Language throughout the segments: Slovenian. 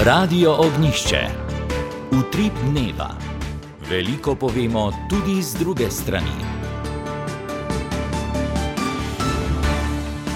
Radio Ognišče. Utrip dneva. Veliko povemo tudi z druge strani.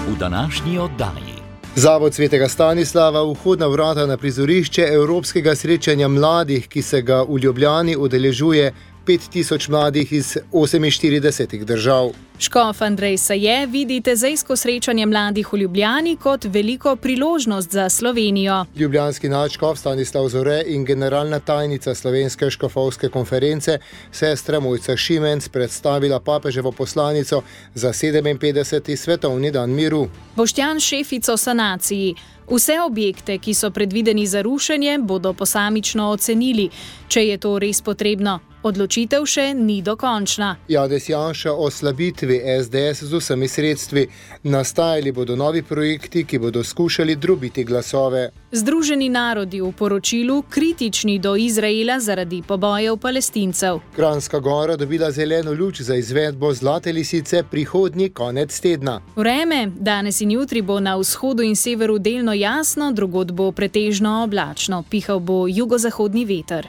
V današnji oddaji. Zavod Svetega Stanislava vhodna vrata na prizorišče Evropskega srečanja mladih, ki se ga v Ljubljani udeležuje 5000 mladih iz 48 držav. Škof Andrej Saje vidi tezejsko srečanje mladih v Ljubljani kot veliko priložnost za Slovenijo. Ljubljanski nadškof Stanislav Zore in generalna tajnica Slovenske škofovske konference sestra Mojca Šimenc predstavila papeževo poslanico za 57. svetovni dan miru. Boštjan Šefic o sanaciji. Vse objekte, ki so predvideni za rušenje, bodo posamično ocenili, če je to res potrebno. Odločitev še ni dokončna. Janez Janša o slabitvi SDS z vsemi sredstvi. Nastajali bodo novi projekti, ki bodo skušali drobiti glasove. Združeni narodi v poročilu kritični do Izraela zaradi pobojev Palestincev. Kranjska Gora dobila zeleno luč za izvedbo Zlate lisice prihodnji konec tedna. Vreme, danes in jutri bo na vzhodu in severu delno jasno, drugod bo pretežno oblačno, pihal bo jugozahodni veter.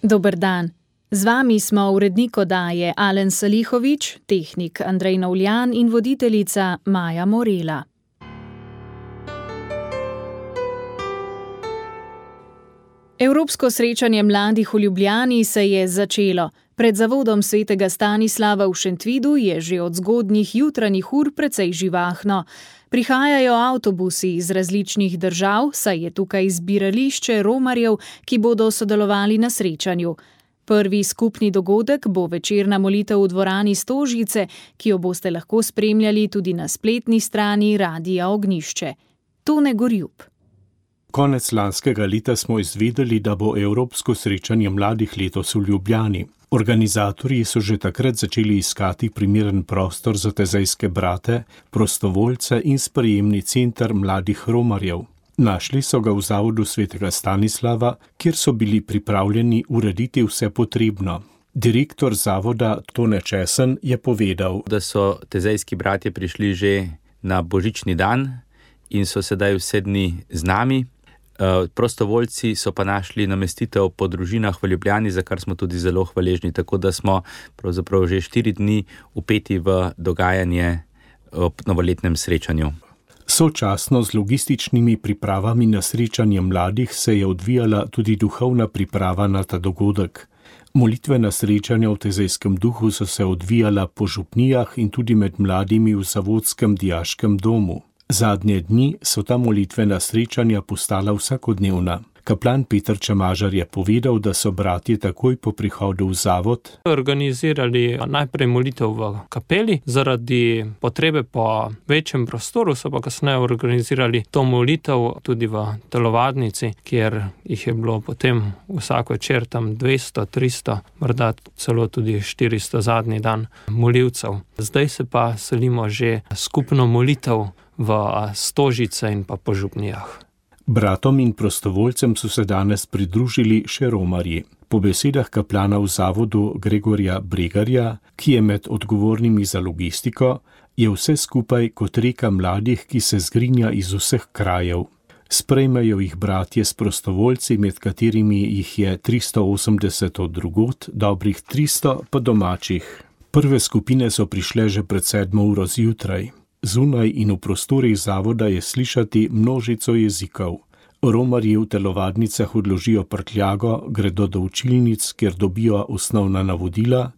Dober dan. Z vami smo urednik oddaje Alen Salihovič, tehnik Andrej Novljan in voditeljica Maja Morela. Evropsko srečanje mladih v Ljubljani se je začelo. Pred zavodom Svetega Stanislava v Šentvidu je že od zgodnjih jutranjih ur precej živahno. Prihajajo avtobusi iz različnih držav, saj je tukaj zbirališče romarjev, ki bodo sodelovali na srečanju. Prvi skupni dogodek bo večerna molitev v dvorani Stožice, ki jo boste lahko spremljali tudi na spletni strani Radia Ognišče. Tone Gorjub. Konec lanskega leta smo izvedeli, da bo Evropsko srečanje mladih letos v Ljubljani. Organizatorji so že takrat začeli iskati primeren prostor za tezejske brate, prostovoljce in sprejemni center mladih romarjev. Našli so ga v zavodu Svetega Stanislava, kjer so bili pripravljeni urediti vse potrebno. Direktor zavoda Tone Česen je povedal, da so tezejski bratje prišli že na božični dan in so sedaj vse dni z nami. Prostovoljci so pa našli namestitev po družinah v Ljubljani, za kar smo tudi zelo hvaležni, tako da smo pravzaprav že 4 dni vpeti v dogajanje ob novoletnem srečanju. Sočasno z logističnimi pripravami na srečanje mladih se je odvijala tudi duhovna priprava na ta dogodek. Molitvena srečanja v tezejskem duhu so se odvijala po župnijah in tudi med mladimi v Zavodskem dijaškem domu. Zadnje dni so ta molitvena srečanja postala vsakodnevna. Kaplan Peter Čemažar je povedal, da so bratje takoj po prihodu v zavod organizirali najprej molitev v kapeli, zaradi potrebe po večjem prostoru so pa kasneje organizirali to molitev tudi v telovadnici, kjer jih je bilo potem vsak večer tam 200, 300, morda celo tudi 400 zadnji dan molivcev. Zdaj se pa selimo že skupno molitev v Stožice in pa po župnijah. Bratom in prostovoljcem so se danes pridružili še romarji. Po besedah kaplana v zavodu Gregorja Bregarja, ki je med odgovornimi za logistiko, je vse skupaj kot reka mladih, ki se zgrinja iz vseh krajev. Sprejmejo jih bratje s prostovoljci, med katerimi jih je 380 od drugod, dobrih 300 pa domačih. Prve skupine so prišle že pred 7 uro zjutraj. Zunaj in v prostorih zavoda je slišati množico jezikov. Romarji v telovadnicah odložijo prtljago, gredo do učilnic, kjer dobijo osnovna navodila,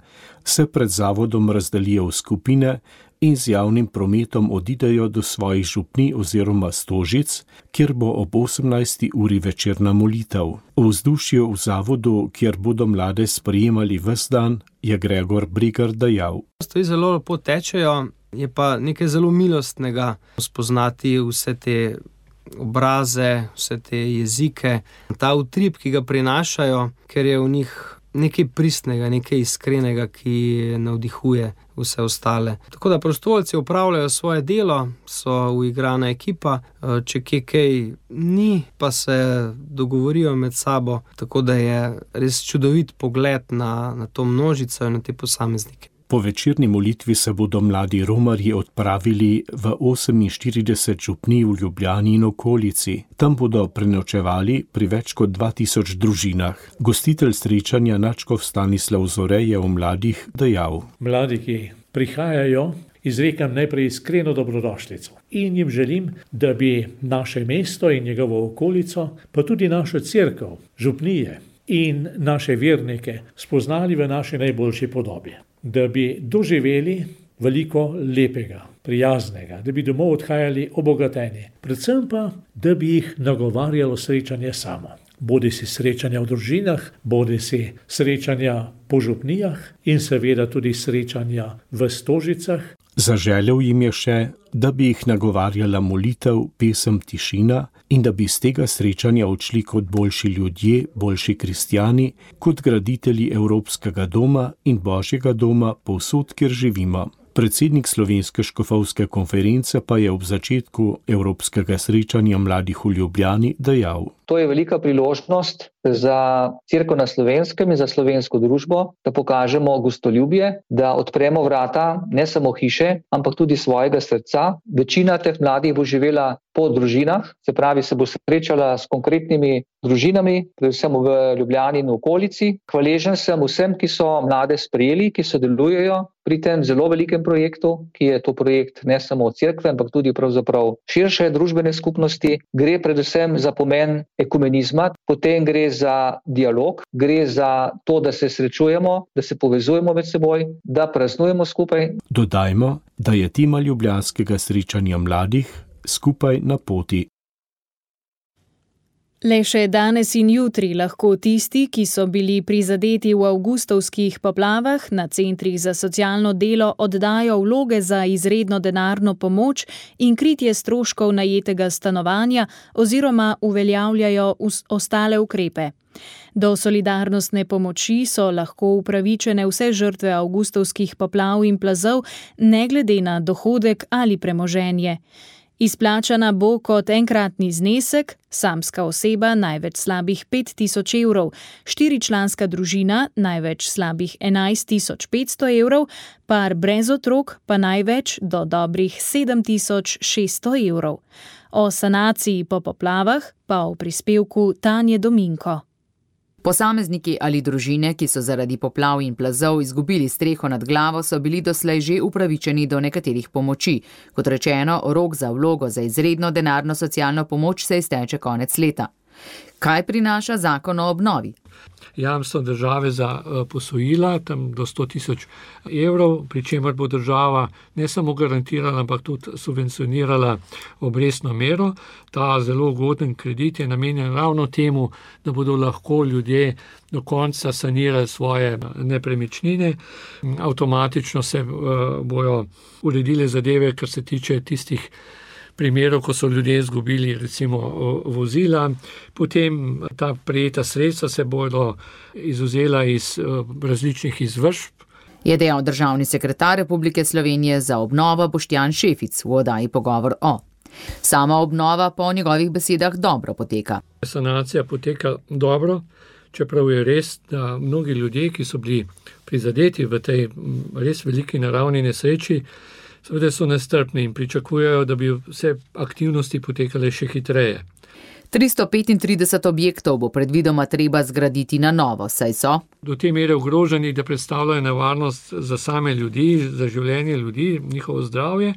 se pred zavodom razdelijo v skupine in z javnim prometom odidejo do svojih župnij oziroma Stožic, kjer bo ob 18. uri večerna molitev. V vzdušju v zavodu, kjer bodo mlade sprejemali ves dan, je Gregor Bregar dejal. Stvari zelo lepo tečejo. Je pa nekaj zelo milostnega spoznati vse te obraze, vse te jezike, ta utrip, ki ga prinašajo, ker je v njih nekaj pristnega, nekaj iskrenega, ki navdihuje vse ostale. Tako da prostovoljci opravljajo svoje delo, so uigrana ekipa, če kaj ni, pa se dogovorijo med sabo, tako da je res čudovit pogled na to množico in na te posameznike. Po večerni molitvi se bodo mladi romarji odpravili v 48 župnij v Ljubljani in okolici. Tam bodo prenočevali pri več kot 2000 družinah. Gostitelj srečanja nadškof Stanislav Zore je o mladih dejal: Mladi, ki prihajajo, izrekam najprej iskreno dobrodošlico in jim želim, da bi naše mesto in njegovo okolico, pa tudi našo cerkev, župnije in naše vernike spoznali v naši najboljši podobi. Da bi doživeli veliko lepega, prijaznega, da bi domov odhajali obogateni. Predvsem pa, da bi jih nagovarjalo srečanje samo. Bodi si srečanja v družinah, bodi si srečanja po župnijah in seveda tudi srečanja v stožicah. Zaželel jim je še, da bi jih nagovarjala molitev, pesem, tišina in da bi z tega srečanja odšli kot boljši ljudje, boljši kristjani, kot graditelji Evropskega doma in Božjega doma povsod, kjer živimo. Predsednik Slovenske škofovske konference pa je ob začetku Evropskega srečanja mladih v Ljubljani dejal: To je velika priložnost za Cerkev na Slovenskem in za slovensko družbo, da pokažemo gostoljubje, da odpremo vrata ne samo hiše, ampak tudi svojega srca. Večina teh mladih bo živela po družinah, se pravi, se bo srečala s konkretnimi družinami, predvsem v Ljubljani in okolici. Hvaležen sem vsem, ki so mlade sprejeli, ki sodelujejo pri tem zelo velikem projektu, ki je to projekt ne samo cerkve, ampak tudi pravzaprav širše družbene skupnosti. Gre predvsem za pomen ekumenizma, potem gre za dialog, gre za to, da se srečujemo, da se povezujemo med seboj, da praznujemo skupaj. Dodajmo, da je tema ljubljanskega srečanja mladih skupaj na poti. Le še danes in jutri lahko tisti, ki so bili prizadeti v avgustovskih poplavah, na centrih za socialno delo oddajo vloge za izredno denarno pomoč in kritje stroškov najetega stanovanja oziroma uveljavljajo ostale ukrepe. Do solidarnostne pomoči so lahko upravičene vse žrtve avgustovskih poplav in plazov, ne glede na dohodek ali premoženje. Izplačana bo kot enkratni znesek, samska oseba največ slabih 5000 evrov, štiričlanska družina največ slabih 11500 evrov, par brez otrok pa največ do dobrih 7600 evrov. O sanaciji po poplavah pa o prispevku Tanje Dominko. Posamezniki ali družine, ki so zaradi poplav in plazov izgubili streho nad glavo, so bili doslej že upravičeni do nekaterih pomoči. Kot rečeno, rok za vlogo za izredno denarno socialno pomoč se izteče konec leta. Kaj prinaša zakon o obnovi? Jamstvo države za posojila, tam do 100 000 evrov, pri čemer bo država ne samo garantirala, ampak tudi subvencionirala obrestno mero. Ta zelo ugoden kredit je namenjen ravno temu, da bodo lahko ljudje do konca sanirali svoje nepremičnine. Avtomatično se bojo uredile zadeve, kar se tiče tistih primerov, ko so ljudje izgubili recimo vozila, potem ta prejeta sredstva se bodo izvzela iz različnih izvršb. Je dejal državni sekretar Republike Slovenije za obnovo Boštjan Šefic v oddaji Pogovor o. Sama obnova po njegovih besedah dobro poteka. Sanacija poteka dobro, čeprav je res, da mnogi ljudje, ki so bili prizadeti v tej res veliki naravni nesreči, seveda so nestrpni in pričakujejo, da bi vse aktivnosti potekale še hitreje. 335 objektov bo predvidoma treba zgraditi na novo, saj so do te mere ogroženi, da predstavljajo nevarnost za same ljudi, za življenje ljudi, njihovo zdravje.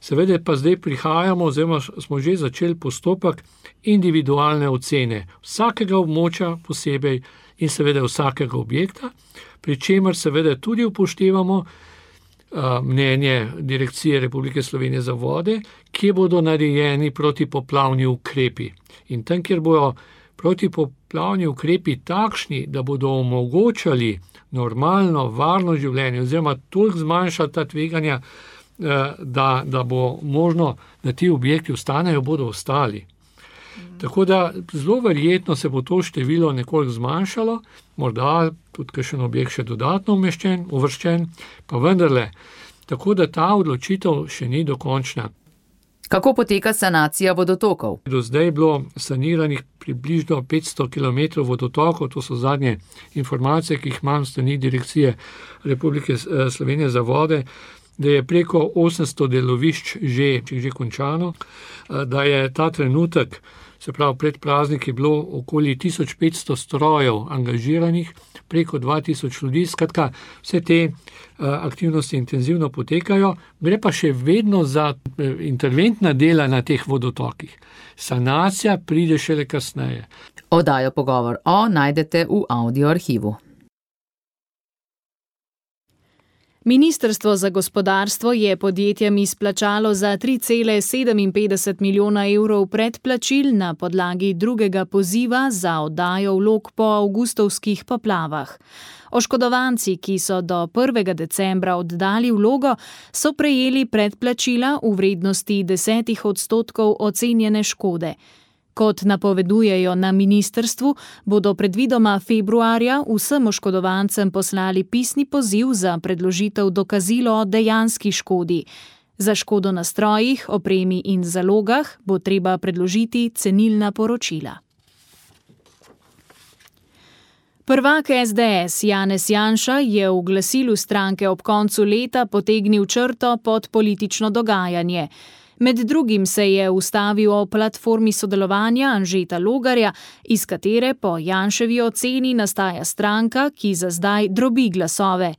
Seveda pa zdaj prihajamo, oziroma smo že začeli postopek individualne ocene vsakega območja posebej in seveda vsakega objekta, pri čemer seveda tudi upoštevamo mnenje Direkcije Republike Slovenije za vode, kje bodo narejeni protipoplavni ukrepi. In tam, kjer bodo protipoplavni ukrepi takšni, da bodo omogočali normalno, varno življenje, oziroma toliko zmanjšati ta tveganja, da bo možno, da ti objekti ostanejo, bodo ostali. Tako da zelo verjetno se bo to število nekoliko zmanjšalo, morda tudi kakšen objekt še dodatno uvrščen, pa vendarle. Tako da ta odločitev še ni dokončna. Kako poteka sanacija vodotokov? Do zdaj je bilo saniranih približno 500 km vodotokov, to so zadnje informacije, ki jih imam s strani Direkcije Republike Slovenije za vode, da je preko 800 delovišč že končano, da je ta trenutek, se pravi pred prazniki, bilo okoli 1500 strojev angažiranih, preko 2000 ljudi, skratka vse te aktivnosti intenzivno potekajo, gre pa še vedno za interventna dela na teh vodotokih. Sanacija pride šele kasneje. Oddajo Pogovor najdete v audio arhivu. Ministrstvo za gospodarstvo je podjetjem izplačalo za 3,57 milijona evrov predplačil na podlagi drugega poziva za oddajo vlog po avgustovskih poplavah. Oškodovanci, ki so do 1. decembra oddali vlogo, so prejeli predplačila v vrednosti 10% ocenjene škode. Kot napovedujejo na ministrstvu, bodo predvidoma februarja vsem oškodovancem poslali pisni poziv za predložitev dokazilo o dejanski škodi. Za škodo na strojih, opremi in zalogah bo treba predložiti cenilna poročila. Prvak SDS Janez Janša je v glasilu stranke ob koncu leta potegnil črto pod politično dogajanje. Med drugim se je ustavil o platformi sodelovanja Anžeta Logarja, iz katere po Janševi oceni nastaja stranka, ki za zdaj drobi glasove.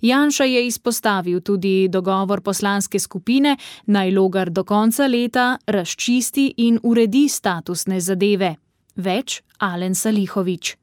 Janša je izpostavil tudi dogovor poslanske skupine, naj Logar do konca leta razčisti in uredi statusne zadeve. Več Alen Salihović.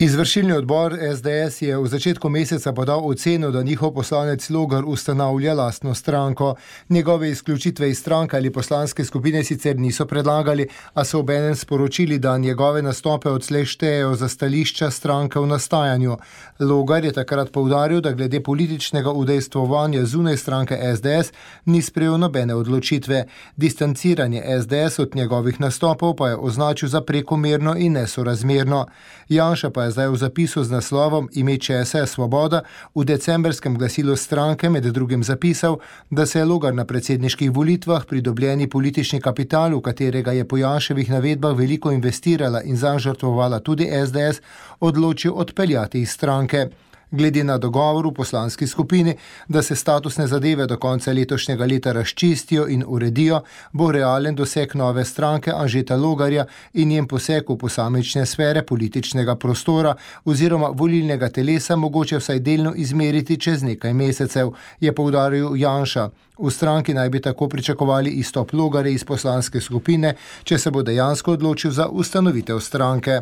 Izvršilni odbor SDS je v začetku meseca podal oceno, da njihov poslanec Logar ustanavlja lastno stranko. Njegove izključitve iz stranke ali poslanske skupine sicer niso predlagali, a so obenem sporočili, da njegove nastope odslej štejejo za stališča stranke v nastajanju. Logar je takrat poudaril, da glede političnega udejstvovanja zunaj stranke SDS ni sprejel nobene odločitve. Distanciranje SDS od njegovih nastopov pa je označil za prekomerno in nesorazmerno. Janša pa je zdaj v zapisu z naslovom Ime česa je svoboda v decembrskem glasilu stranke med drugim zapisal, da se je Logar na predsedniških volitvah pridobljeni politični kapital, v katerega je po Janševih navedbah veliko investirala in zanj žrtvovala tudi SDS, odločil odpeljati iz stranke. Glede na dogovor v poslanski skupini, da se statusne zadeve do konca letošnjega leta razčistijo in uredijo, bo realen doseg nove stranke Anžeta Logarja in njen poseg v posamične sfere političnega prostora oziroma volilnega telesa mogoče vsaj delno izmeriti čez nekaj mesecev, je poudaril Janša. V stranki naj bi tako pričakovali izstop Logarja iz poslanske skupine, če se bo dejansko odločil za ustanovitev stranke.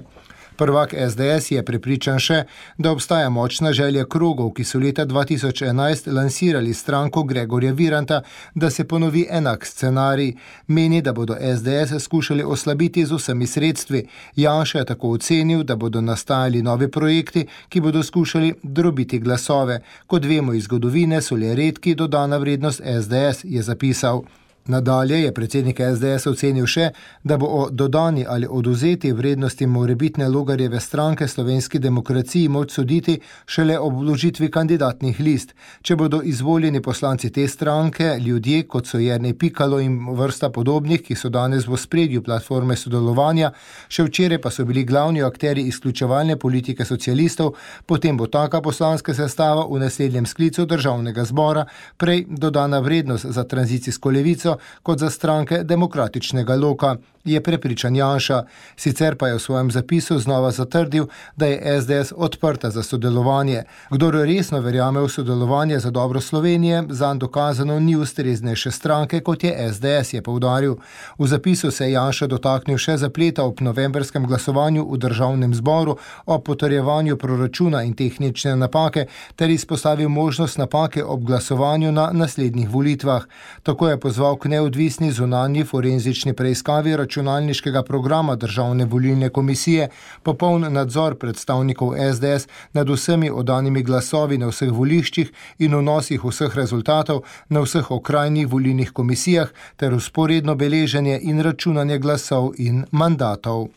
Prvak SDS je prepričan še, da obstaja močna želja krogov, ki so leta 2011 lansirali stranko Gregorja Viranta, da se ponovi enak scenarij. Meni, da bodo SDS skušali oslabiti z vsemi sredstvi. Janša je tako ocenil, da bodo nastajali novi projekti, ki bodo skušali drobiti glasove. Kot vemo iz zgodovine, so le redki dodana vrednost SDS, je zapisal. Nadalje je predsednik SDS ocenil še, da bo o dodani ali odvzeti vrednosti morebitne Logarjeve stranke Slovenski demokraciji moč soditi šele ob vložitvi kandidatnih list. Če bodo izvoljeni poslanci te stranke, ljudje, kot so Jernej Pikalo in vrsta podobnih, ki so danes v ospredju platforme sodelovanja, še včeraj pa so bili glavni akterji izključevalne politike socialistov, potem bo taka poslanska sestava v naslednjem sklicu državnega zbora prej dodana vrednost za tranzicijsko levico kot za stranke demokratičnega loka, je prepričan Janša. Sicer pa je v svojem zapisu znova zatrdil, da je SDS odprta za sodelovanje. Kdor resno verjame v sodelovanje za dobro Slovenije, zanj dokazano ni ustreznejše stranke, kot je SDS, je poudaril. V zapisu se je Janša dotaknil še zapleta ob novembrskem glasovanju v državnem zboru o potrjevanju proračuna in tehnične napake, ter izpostavil možnost napake ob glasovanju na naslednjih volitvah. Tako je pozval k neodvisni zunanji forenzični preiskavi računalniškega programa Državne volilne komisije, popoln nadzor predstavnikov SDS nad vsemi oddanimi glasovi na vseh voliščih in vnosih vseh rezultatov na vseh okrajnih volilnih komisijah ter vzporedno beleženje in računanje glasov in mandatov.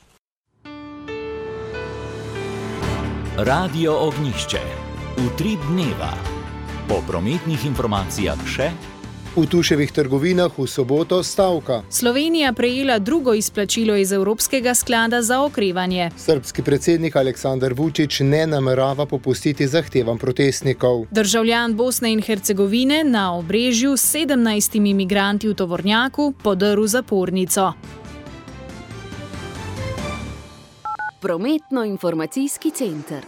Radio Ognjišče. Utrip dneva. Po prometnih informacijah še V Tuševih trgovinah v soboto stavka. Slovenija prejela drugo izplačilo iz Evropskega sklada za okrevanje. Srbski predsednik Aleksandar Vučić ne namerava popustiti zahtevam protestnikov. Državljan Bosne in Hercegovine na Obrežju s 17 migranti v tovornjaku podrl zapornico. Prometno-informacijski center.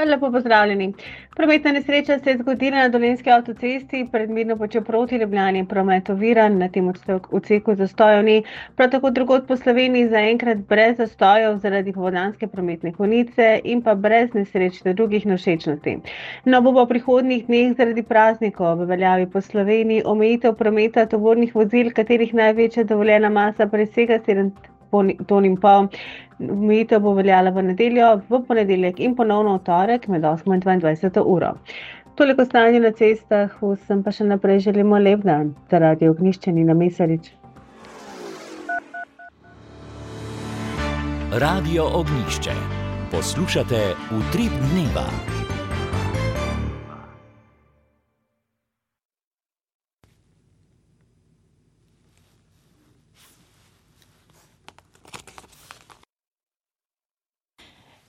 Lepo pozdravljeni. Prometna nesreča se je zgodila na Dolenjski avtocesti, predmirno počel proti Ljubljani, promet oviran, na tem odseku zastojev ni. Prav tako drugod po Sloveniji zaenkrat brez zastojev zaradi popoldanske prometne konice in pa brez nesreč ter drugih nevšečnosti. No, bo v prihodnjih dneh zaradi praznikov v veljavi po Sloveniji omejitev prometa tovornih vozil, katerih največja dovoljena masa presega 7,5 ton. Omejitev bo veljala v nedeljo, v ponedeljek in ponovno v torek med 8 in 22 uro. Toliko stanja na cestah, vsem pa še naprej želimo lep dan. Za Radio Ognjišče Nina Mesarič. Radio Ognjišče. Poslušate Utrip dneva.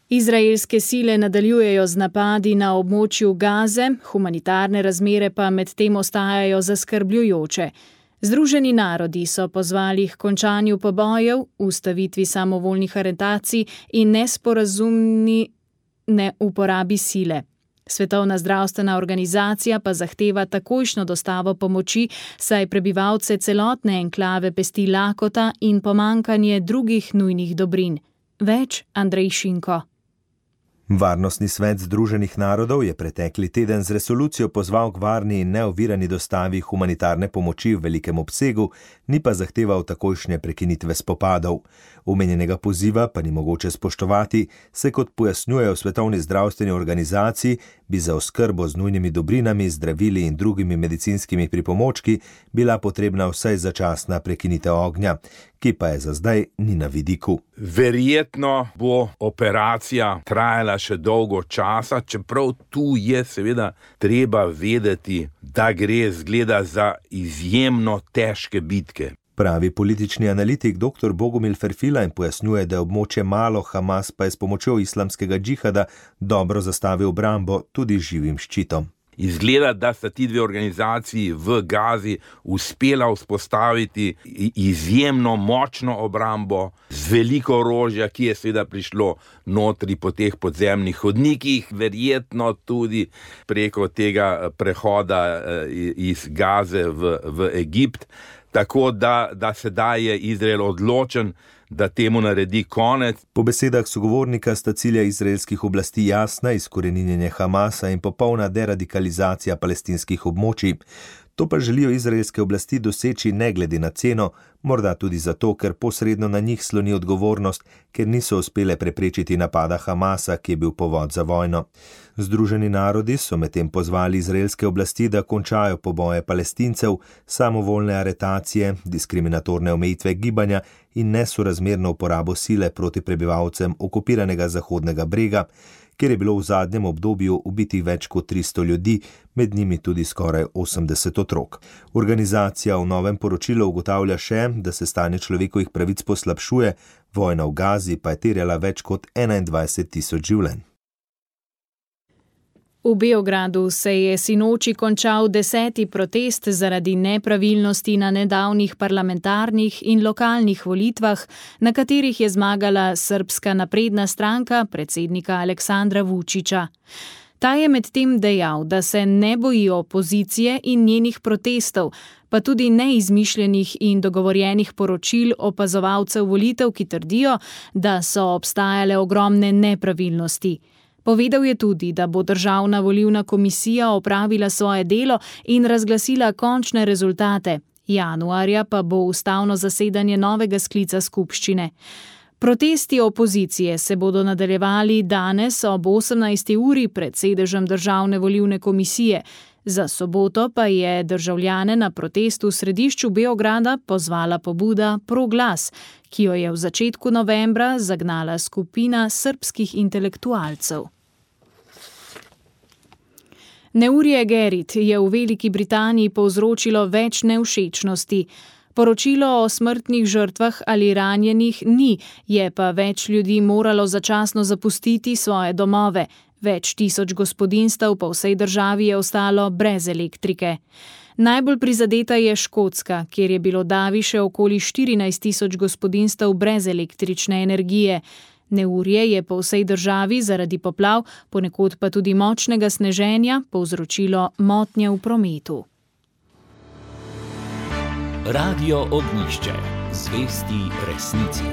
Izraelske sile nadaljujejo z napadi na območju Gaze, humanitarne razmere pa medtem ostajajo zaskrbljujoče. Združeni narodi so pozvali k končanju pobojev, ustavitvi samovoljnih aretacij in nesporazumni neuporabi sile. Svetovna zdravstvena organizacija pa zahteva takojšnjo dostavo pomoči, saj prebivalce celotne enklave pesti lakota in pomanjkanje drugih nujnih dobrin. Več Andrej Šinko. Varnostni svet Združenih narodov je pretekli teden z resolucijo pozval k varni in neovirani dostavi humanitarne pomoči v velikem obsegu, ni pa zahteval takojšnje prekinitve spopadov. Omenjenega poziva pa ni mogoče spoštovati, saj kot pojasnjujejo v Svetovni zdravstveni organizaciji, bi za oskrbo z nujnimi dobrinami, zdravili in drugimi medicinskimi pripomočki bila potrebna vsaj začasna prekinitev ognja, ki pa je za zdaj ni na vidiku. Verjetno bo operacija trajala še dolgo časa, čeprav tu je seveda treba vedeti, da gre zgleda za izjemno težke bitke. Pravi politični analitik dr. Bogomil Ferfila in pojasnjuje, da je območje malo, Hamas pa je s pomočjo islamskega džihada dobro zastavil obrambo tudi živim ščitom. Izgleda, da sta ti dve organizaciji v Gazi uspela vzpostaviti izjemno močno obrambo z veliko orožja, ki je seveda prišlo notri po teh podzemnih hodnikih, verjetno tudi preko tega prehoda iz Gaze v Egipt. Tako da sedaj je Izrael odločen, da temu naredi konec. Po besedah sogovornika sta cilja izraelskih oblasti jasna, izkoreninjenje Hamasa in popolna deradikalizacija palestinskih območij. To pa želijo izraelske oblasti doseči ne glede na ceno, morda tudi zato, ker posredno na njih sloni odgovornost, ker niso uspele preprečiti napada Hamasa, ki je bil povod za vojno. Združeni narodi so medtem pozvali izraelske oblasti, da končajo poboje Palestincev, samovoljne aretacije, diskriminatorne omejitve gibanja in nesorazmerno uporabo sile proti prebivalcem okupiranega Zahodnega brega, kjer je bilo v zadnjem obdobju ubitih več kot 300 ljudi, med njimi tudi skoraj 80 otrok. Organizacija v novem poročilu ugotavlja še, da se stanje človekovih pravic poslabšuje, vojna v Gazi pa je terjala več kot 21.000 življenj. V Beogradu se je sinoči končal 10. protest zaradi nepravilnosti na nedavnih parlamentarnih in lokalnih volitvah, na katerih je zmagala Srbska napredna stranka predsednika Aleksandra Vučića. Ta je medtem dejal, da se ne boji opozicije in njenih protestov, pa tudi neizmišljenih in dogovorjenih poročil opazovalcev volitev, ki trdijo, da so obstajale ogromne nepravilnosti. Povedal je tudi, da bo Državna volilna komisija opravila svoje delo in razglasila končne rezultate. Januarja pa bo ustavno zasedanje novega sklica skupščine. Protesti opozicije se bodo nadaljevali danes ob 18. uri pred sedežem Državne volilne komisije. Za soboto pa je državljane na protestu v središču Beograda pozvala pobuda Proglas, ki jo je v začetku novembra zagnala skupina srbskih intelektualcev. Neurje Gerrit je v Veliki Britaniji povzročilo več nevšečnosti. Poročilo o smrtnih žrtvah ali ranjenih ni, je pa več ljudi moralo začasno zapustiti svoje domove. Več tisoč gospodinjstev po vsej državi je ostalo brez elektrike. Najbolj prizadeta je Škotska, kjer je bilo davi še okoli 14.000 gospodinjstev brez električne energije. Neurje je po vsej državi zaradi poplav, ponekod pa tudi močnega sneženja, povzročilo motnje v prometu. Radio Ognjišče. Zvesti resnici.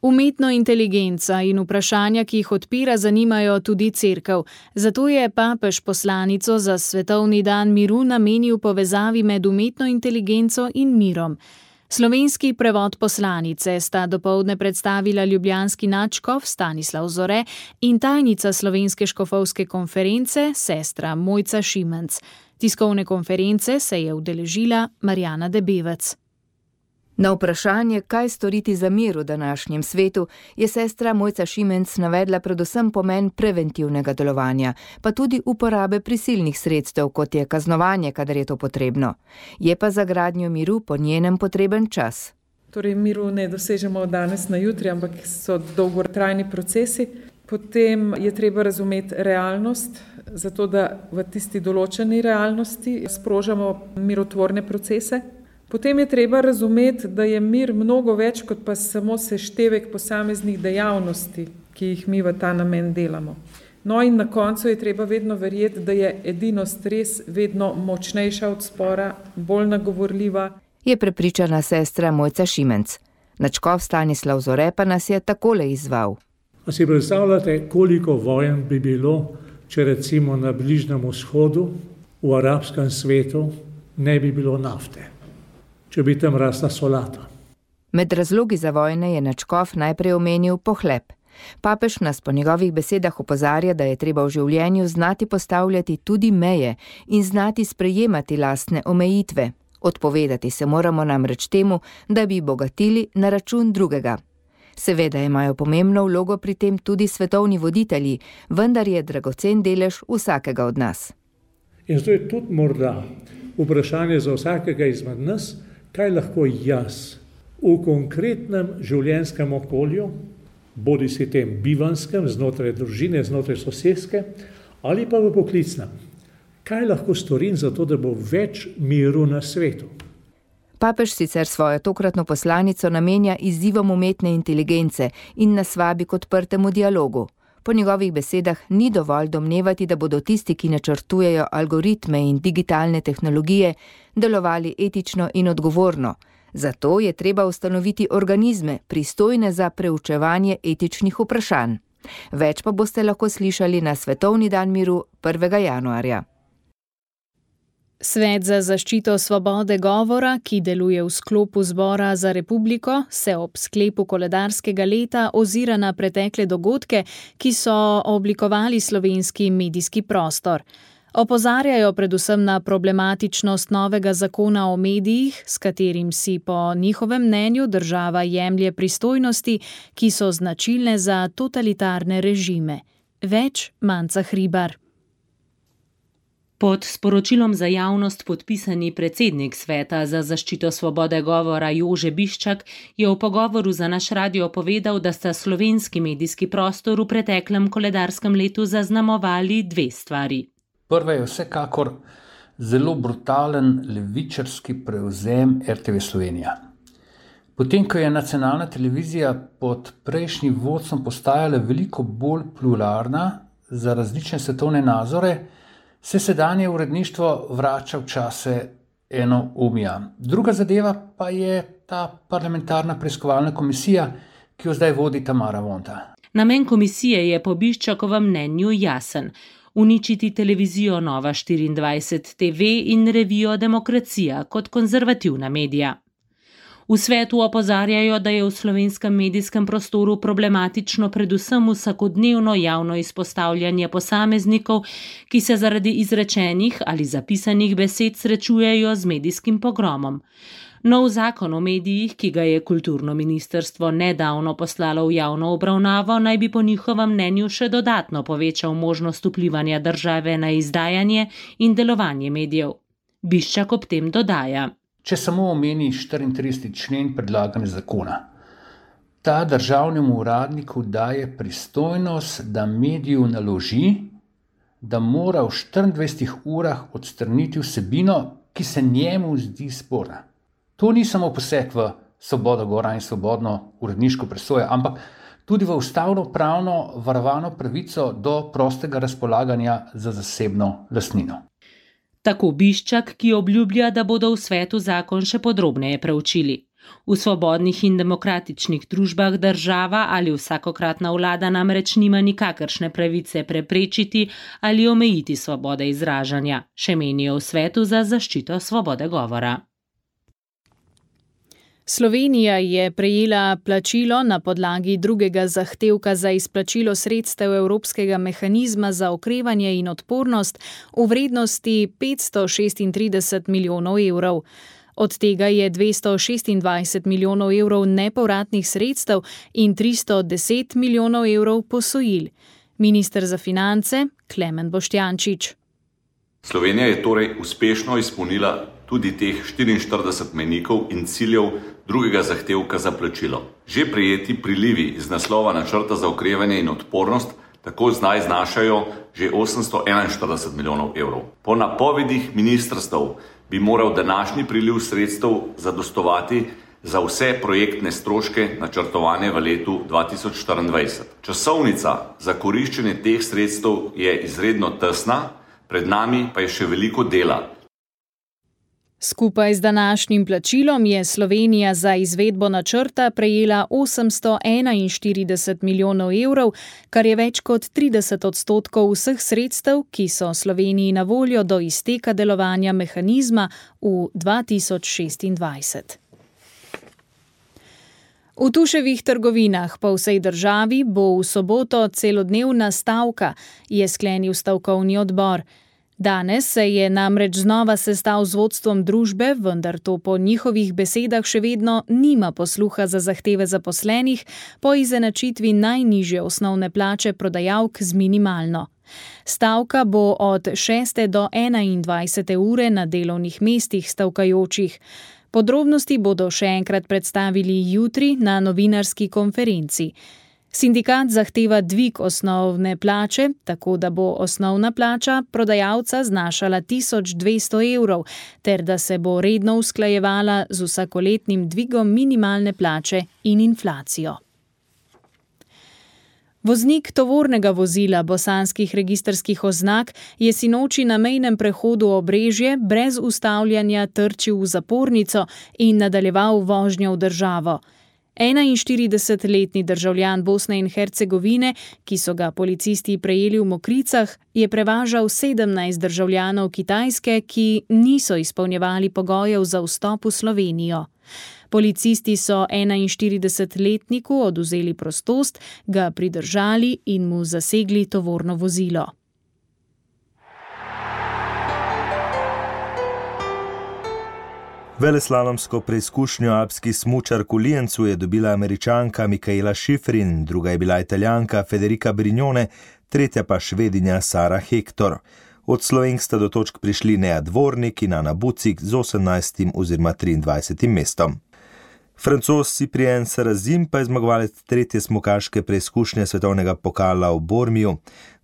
Umetna inteligenca in vprašanja, ki jih odpira, zanimajo tudi cerkev. Zato je papež poslanico za svetovni dan miru namenil povezavi med umetno inteligenco in mirom. Slovenski prevod poslanice sta dopoldne predstavila ljubljanski nadškof Stanislav Zore in tajnica Slovenske škofovske konference, sestra Mojca Šimenc. Tiskovne konference se je udeležila Marjana Debevec. Na vprašanje, kaj storiti za mir v današnjem svetu, je sestra Mojca Šimenc navedla predvsem pomen preventivnega delovanja, pa tudi uporabe prisilnih sredstev, kot je kaznovanje, kadar je to potrebno. Je pa za gradnjo miru po njenem potreben čas. Torej, miru ne dosežemo od danes na jutri, ampak so dolgotrajni procesi. Potem je treba razumeti realnost, zato da v tisti določeni realnosti sprožamo mirotvorne procese. Potem je treba razumeti, da je mir mnogo več kot pa samo seštevek posameznih dejavnosti, ki jih mi v ta namen delamo. No in na koncu je treba vedno verjeti, da je edinost res vedno močnejša od spora, bolj nagovorljiva. Je prepričana sestra Mojca Šimenc. Nadškof Stanislav Zore pa nas je takole izzval. A si predstavljate, koliko vojen bi bilo, če recimo na Bližnjem vzhodu, v arabskem svetu, ne bi bilo nafte? Če bi tam rasla solata. Med razlogi za vojne je nadškof najprej omenil pohlep. Papež nas po njegovih besedah opozarja, da je treba v življenju znati postavljati tudi meje in znati sprejemati lastne omejitve. Odpovedati se moramo namreč temu, da bi bogatili na račun drugega. Seveda imajo pomembno vlogo pri tem tudi svetovni voditelji, vendar je dragocen delež vsakega od nas. In zato je tudi morda vprašanje za vsakega izmed nas, kaj lahko jaz v konkretnem življenjskem okolju, bodi si tem bivanskem, znotraj družine, znotraj soseske, ali pa v poklicnem, kaj lahko storim za to, da bo več miru na svetu. Papež sicer svojo tokratno poslanico namenja izzivom umetne inteligence in nas vabi k odprtemu dialogu. Po njegovih besedah ni dovolj domnevati, da bodo tisti, ki načrtujejo algoritme in digitalne tehnologije, delovali etično in odgovorno. Zato je treba ustanoviti organizme, pristojne za preučevanje etičnih vprašanj. Več pa boste lahko slišali na Svetovni dan miru 1. januarja. Svet za zaščito svobode govora, ki deluje v sklopu Zbora za republiko, se ob sklepu koledarskega leta ozira na pretekle dogodke, ki so oblikovali slovenski medijski prostor. Opozarjajo predvsem na problematičnost novega zakona o medijih, s katerim si po njihovem mnenju država jemlje pristojnosti, ki so značilne za totalitarne režime. Več Manca Hribar. Pod sporočilom za javnost podpisani predsednik Sveta za zaščito svobode govora Jože Biščak je v pogovoru za naš radio povedal, da sta slovenski medijski prostor v preteklem koledarskem letu zaznamovali dve stvari. Prva je vsekakor zelo brutalen levičarski prevzem RTV Slovenija. Potem, ko je nacionalna televizija pod prejšnjim vodstvom postajala veliko bolj pluralna za različne svetovne nazore, se sedanje uredništvo vrača v čase enoumja. Druga zadeva pa je ta parlamentarna preiskovalna komisija, ki jo zdaj vodi Tamara Vonta. Namen komisije je po Biščakovem mnenju jasen: uničiti televizijo Nova 24 TV in revijo Demokracija kot konzervativna medija. V svetu opozarjajo, da je v slovenskem medijskem prostoru problematično predvsem vsakodnevno javno izpostavljanje posameznikov, ki se zaradi izrečenih ali zapisanih besed srečujejo z medijskim pogromom. Nov zakon o medijih, ki ga je kulturno ministrstvo nedavno poslalo v javno obravnavo, naj bi po njihovem mnenju še dodatno povečal možnost vplivanja države na izdajanje in delovanje medijev. Biščak ob tem dodaja. Če samo omeni 34. člen predlagane zakona, ta državnemu uradniku daje pristojnost, da mediju naloži, da mora v 24 urah odstraniti vsebino, ki se njemu zdi sporna. To ni samo poseg v svobodo govora in svobodno uredniško presojo, ampak tudi v ustavno-pravno varovano pravico do prostega razpolaganja za zasebno lastnino. Tako Biščak, ki obljublja, da bodo v svetu zakon še podrobneje preučili. V svobodnih in demokratičnih družbah država ali vsakokratna vlada namreč nima nikakršne pravice preprečiti ali omejiti svobode izražanja, še menijo v svetu za zaščito svobode govora. Slovenija je prejela plačilo na podlagi drugega zahtevka za izplačilo sredstev Evropskega mehanizma za okrevanje in odpornost v vrednosti 536 milijonov evrov. Od tega je 226 milijonov evrov nepovratnih sredstev in 310 milijonov evrov posojil. Minister za finance Klemen Boštjančič. Slovenija je torej uspešno izpolnila tudi teh 44 mejnikov in ciljev drugega zahtevka za plačilo. Že prejeti prilivi iz naslova načrta za okrevanje in odpornost tako zdaj znašajo že 841 milijonov evrov. Po napovedih ministrstev bi moral današnji priliv sredstev zadostovati za vse projektne stroške načrtovane v letu 2024. Časovnica za koriščenje teh sredstev je izredno tesna, pred nami pa je še veliko dela. Skupaj z današnjim plačilom je Slovenija za izvedbo načrta prejela 841 milijonov evrov, kar je več kot 30% vseh sredstev, ki so Sloveniji na voljo do izteka delovanja mehanizma v 2026. V Tuševih trgovinah po vsej državi bo v soboto celodnevna stavka, je sklenil stavkovni odbor. Danes se je namreč znova sestal z vodstvom družbe, vendar to po njihovih besedah še vedno nima posluha za zahteve zaposlenih po izenačitvi najnižje osnovne plače prodajalk z minimalno. Stavka bo od 6. do 21. ure na delovnih mestih stavkajočih. Podrobnosti bodo še enkrat predstavili jutri na novinarski konferenci. Sindikat zahteva dvig osnovne plače, tako da bo osnovna plača prodajalca znašala 1200 evrov, ter da se bo redno usklajevala z vsakoletnim dvigom minimalne plače in inflacijo. Voznik tovornega vozila bosanskih registrskih oznak je sinoči na mejnem prehodu Obrežje brez ustavljanja trčil v zapornico in nadaljeval vožnjo v državo. 41-letni državljan Bosne in Hercegovine, ki so ga policisti prejeli v Mokricah, je prevažal 17 državljanov Kitajske, ki niso izpolnjevali pogojev za vstop v Slovenijo. Policisti so 41-letniku odvzeli prostost, ga pridržali in mu zasegli tovorno vozilo. Veleslalomsko preizkušnjo alpski smučark v Lienzu je dobila Američanka Michaela Schifrin, druga je bila Italijanka Federica Brignone, tretja pa Švedinja Sara Hector. Od Slovenk sta do točk prišli Nea Dvornik in Ana Bucik z 18. oziroma 23. mestom. Francoz Cyprien Sarrazin pa je zmagovalec tretje smukaške preizkušnje svetovnega pokala v Bormiju.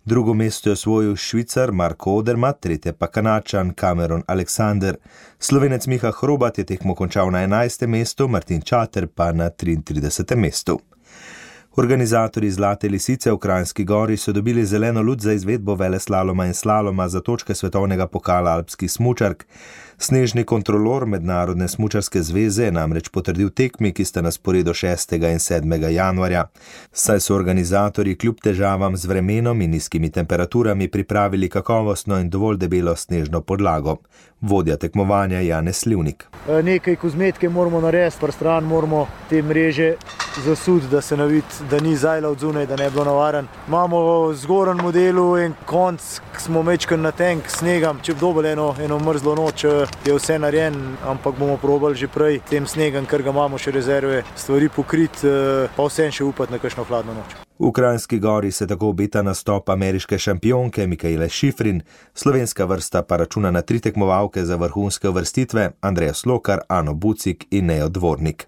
Drugo mesto je osvojil Švicar Marko Odermatt, tretje pa Kanačan Cameron Alexander. Slovenec Miha Hrobat je tekmo končal na 11. mestu, Martin Čater pa na 33. mestu. Organizatorji Zlate lisice v Kranjski Gori so dobili zeleno luč za izvedbo veleslaloma in slaloma za točke svetovnega pokala alpskih smučark. Snežni kontrolor Mednarodne smučarske zveze je namreč potrdil tekmi, ki sta na sporedu 6. in 7. januarja. Saj so organizatorji kljub težavam z vremenom in nizkimi temperaturami pripravili kakovostno in dovolj debelo snežno podlago. Vodja tekmovanja Janez Slivnik. Nekaj kozmetike moramo narediti, prstran moramo te mreže zasudi, da se navidi, da ni zajla od zunaj, da ne bi bilo navaren. Imamo v zgornjem modelu en konc, ki smo mečkali na tank snegam, če bi dobili eno mrzlo noč, da je vse narejen, ampak bomo probali že prej tem snegom, ker ga imamo še rezerve, stvari pokriti, pa vsem še upati na kakšno hladno noč. V Kranjski Gori se tako obeta nastop ameriške šampionke Mikaele Šifrin, slovenska vrsta pa računa na 3 tekmovalke za vrhunske uvrstitve, Andreja Slokar, Ano Bucik in Nejo Dvornik.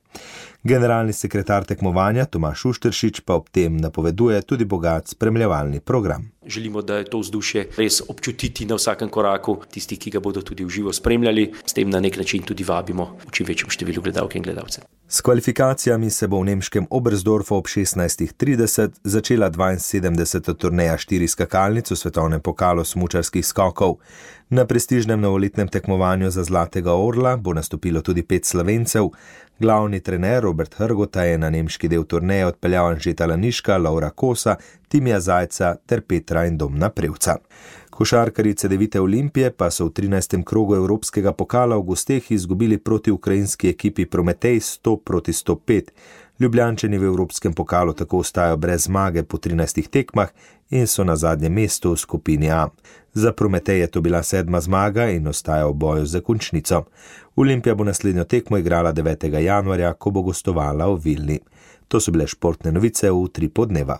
Generalni sekretar tekmovanja Tomaž Šušteršič pa ob tem napoveduje tudi bogat spremljevalni program. Želimo, da je to vzdušje res občutiti na vsakem koraku, tisti, ki ga bodo tudi v živo spremljali, s tem na nek način tudi vabimo v čim večjem številu gledalk in gledalcev. S kvalifikacijami se bo v nemškem Oberstdorfu ob 16:30 začela 72. turneja 4 skakalnic v svetovnem pokalu smučarskih skokov. Na prestižnem novoletnem tekmovanju za Zlatega orla bo nastopilo tudi 5 Slovencev. Glavni trener Robert Hrgota je na nemški del turneje odpeljal Anžeta Laniška, Laura Kosa, Timija Zajca ter Petra in Domna Prevca. Košarkarice Devite Olimpije pa so v 13. krogu Evropskega pokala v gosteh izgubili proti ukrajinski ekipi Prometej 100-105. Ljubljančani v Evropskem pokalu tako ostajajo brez zmage po 13 tekmah in so na zadnjem mestu v skupini A. Za Prometej je to bila 7. zmaga in ostaja v boju za končnico. Olimpija bo naslednjo tekmo igrala 9. januarja, ko bo gostovala v Vilni. To so bile športne novice v Utripu dneva.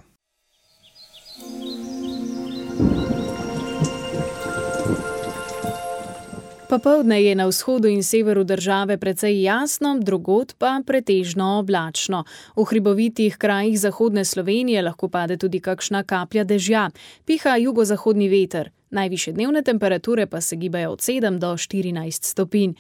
Popoldne je na vzhodu in severu države precej jasno, drugod pa pretežno oblačno. V hribovitih krajih zahodne Slovenije lahko pade tudi kakšna kaplja dežja. Piha jugozahodni veter. Najvišje dnevne temperature pa se gibajo od 7 do 14 stopinj.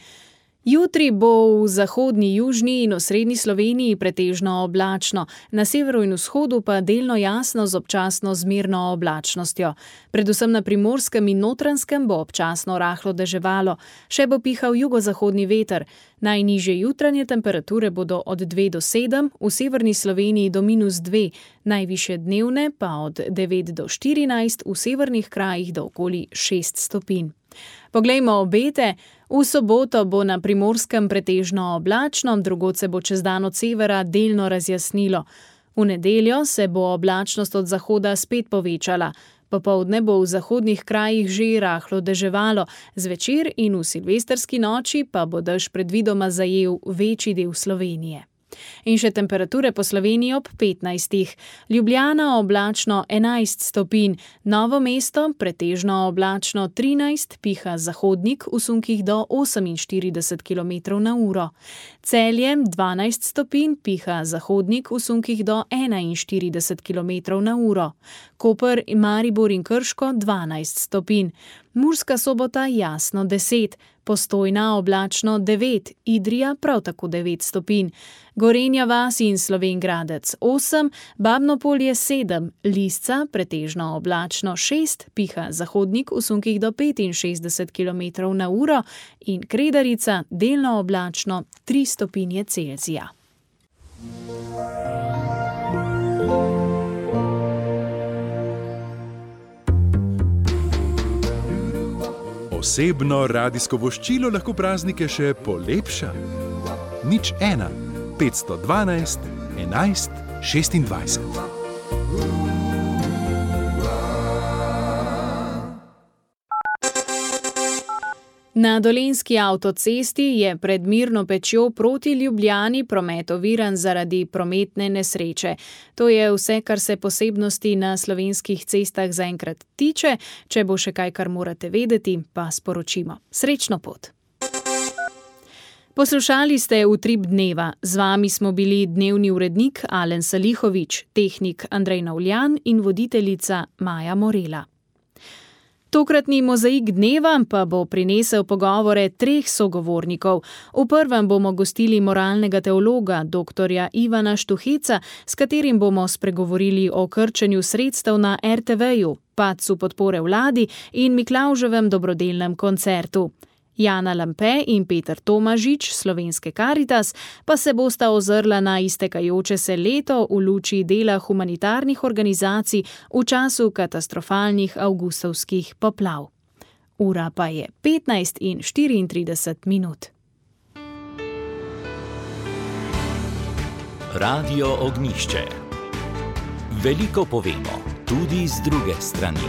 Jutri bo v zahodni, južni in osrednji Sloveniji pretežno oblačno, na severu in vzhodu pa delno jasno z občasno zmerno oblačnostjo. Predvsem na Primorskem in Notranjskem bo občasno rahlo deževalo, še bo pihal jugozahodni veter. Najnižje jutranje temperature bodo od 2 do 7, v severni Sloveniji do -2, najvišje dnevne pa od 9 do 14, v severnih krajih do okoli 6 stopinj. Poglejmo obete. V soboto bo na Primorskem pretežno oblačno, drugod se bo čez dan od severa delno razjasnilo. V nedeljo se bo oblačnost od zahoda spet povečala. Popoldne bo v zahodnih krajih že rahlo deževalo, zvečer in v silvestrski noči pa bo dež predvidoma zajel večji del Slovenije. In še temperature po Sloveniji ob 15. Ljubljana oblačno 11 stopinj, Novo mesto pretežno oblačno 13, piha zahodnik v sunkih do 48 km/h. Celje 12 stopinj, piha zahodnik v sunkih do 41 km/h. Koper, Maribor in Krško 12 stopinj. Murska Sobota jasno 10, Postojna oblačno 9, Idrija prav tako 9 stopinj, Gorenja vas in Slovenj Gradec 8, Babno Polje 7, Lisca pretežno oblačno 6, piha zahodnik v sunkih do 65 km/h in Kredarica delno oblačno 3 stopinje Celzija. Osebno radijsko voščilo lahko praznike še polepša. 01 512 11 26. Na Dolenjski avtocesti je pred Mirno Pečjo proti Ljubljani promet oviran zaradi prometne nesreče. To je vse, kar se posebnosti na slovenskih cestah zaenkrat tiče. Če bo še kaj, kar morate vedeti, pa sporočimo. Srečno pot! Poslušali ste Utrip dneva. Z vami smo bili dnevni urednik Alen Salihović, tehnik Andrej Navljan in voditeljica Maja Morela. Tokratni mozaik dneva pa bo prinesel pogovore 3 sogovornikov. V prvem bomo gostili moralnega teologa, doktorja Ivana Štuheca, s katerim bomo spregovorili o krčenju sredstev na RTV-ju, padcu podpore vladi in Miklavževem dobrodelnem koncertu. Jana Lampe in Peter Tomažič, Slovenske Karitas, pa se bosta ozrla na iztekajoče se leto v luči dela humanitarnih organizacij v času katastrofalnih avgustovskih poplav. Ura pa je 15:34. Radio Ognjišče. Veliko povemo, tudi z druge strani.